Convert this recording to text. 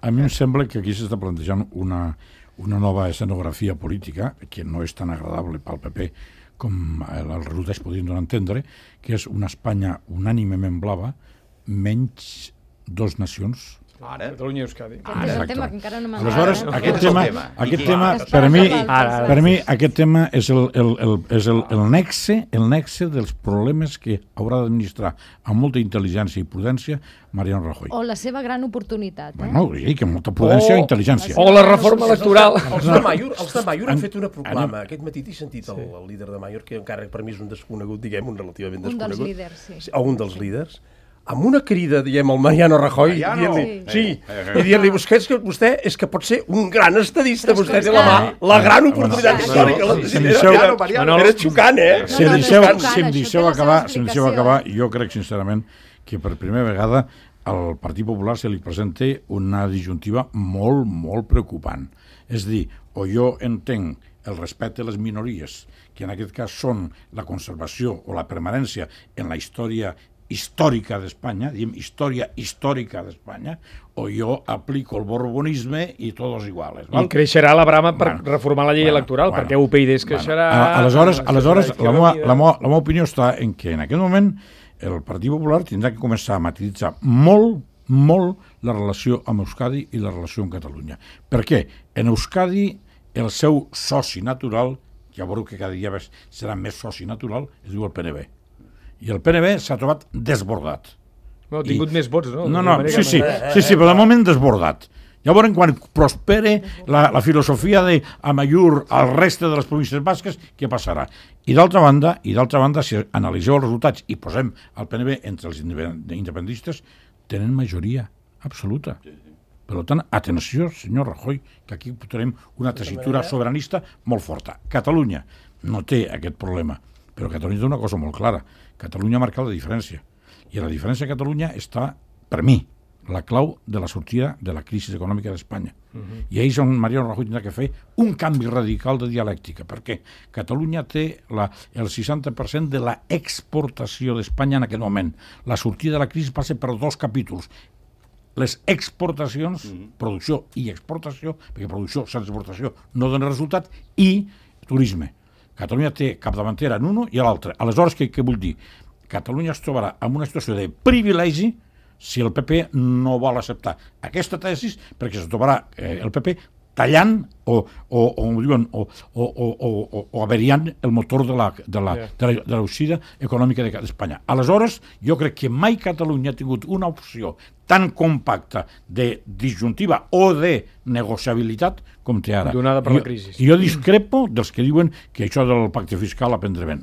A mi em sembla que aquí s'està plantejant una nova escenografia política que no és tan agradable pel PP com el resultat podrien donar a entendre, que és una Espanya unànimement blava menys dos nacions. Ara, Catalunya i Euskadi. Aquest és el tema que encara no m'ha Aleshores, agradat. aquest tema, per mi, aquest tema és el nexe dels problemes que haurà d'administrar amb molta intel·ligència i prudència Mariano Rajoy. O la seva gran oportunitat. Bueno, sí, que molta prudència i intel·ligència. O la reforma electoral. Els de Maior han fet una proclama. Aquest matí t'he sentit el líder de Maior, que encara per mi és un desconegut, diguem, un relativament desconegut. Un dels líders, sí. O un dels líders. Amb una crida, diguem, al Mariano Rajoy, i dir-li, vostè és que pot ser un gran estadista, vostè té la gran oportunitat històrica. Era xocant, eh? Si em deixeu acabar, jo crec sincerament que per primera vegada al Partit Popular se li presenta una disjuntiva molt, molt preocupant. És dir, o jo entenc el respecte a les minories, que en aquest cas són la conservació o la permanència en la història històrica d'Espanya, diguem història històrica d'Espanya, o jo aplico el borbonisme i tots iguals. I creixerà la brama per reformar la llei electoral, perquè UPyD es creixerà... Aleshores, la meva opinió està en que en aquest moment el Partit Popular tindrà que començar a matiritzar molt, molt la relació amb Euskadi i la relació amb Catalunya. Per què? En Euskadi el seu soci natural, ja veureu que cada dia serà més soci natural, es diu el PNB. I el PNB s'ha trobat desbordat. Ha tingut més vots, no? Sí, però de moment desbordat. Llavors, quan prospere la filosofia d'Amaiur al reste de les províncies basques, què passarà? I d'altra banda, si analitzeu els resultats i posem el PNB entre els independentistes, tenen majoria absoluta. Per tant, atenció, senyor Rajoy, que aquí tenim una tessitura sobiranista molt forta. Catalunya no té aquest problema, però Catalunya té una cosa molt clara. Catalunya ha marcat la diferència. I la diferència a Catalunya està, per mi, la clau de la sortida de la crisi econòmica d'Espanya. I ahir és on Mariano Rajoy tindrà que fer un canvi radical de dialèctica, perquè Catalunya té el 60% de l'exportació d'Espanya en aquest moment. La sortida de la crisi passa per dos capítols. Les exportacions, producció i exportació, perquè producció sense exportació no dona resultat, i turisme. Catalunya té capdavantera en un i l'altre. Aleshores, què vull dir? Catalunya es trobarà en una situació de privilegi si el PP no vol acceptar aquesta tesi, perquè es trobarà el PP tallant o averiant el motor de l'eixida econòmica d'Espanya. Aleshores, jo crec que mai Catalunya ha tingut una opció tan compacta de disjuntiva o de negociabilitat com té ara. Donada per la crisi. I jo discrepo dels que diuen que això del pacte fiscal aprendre ben.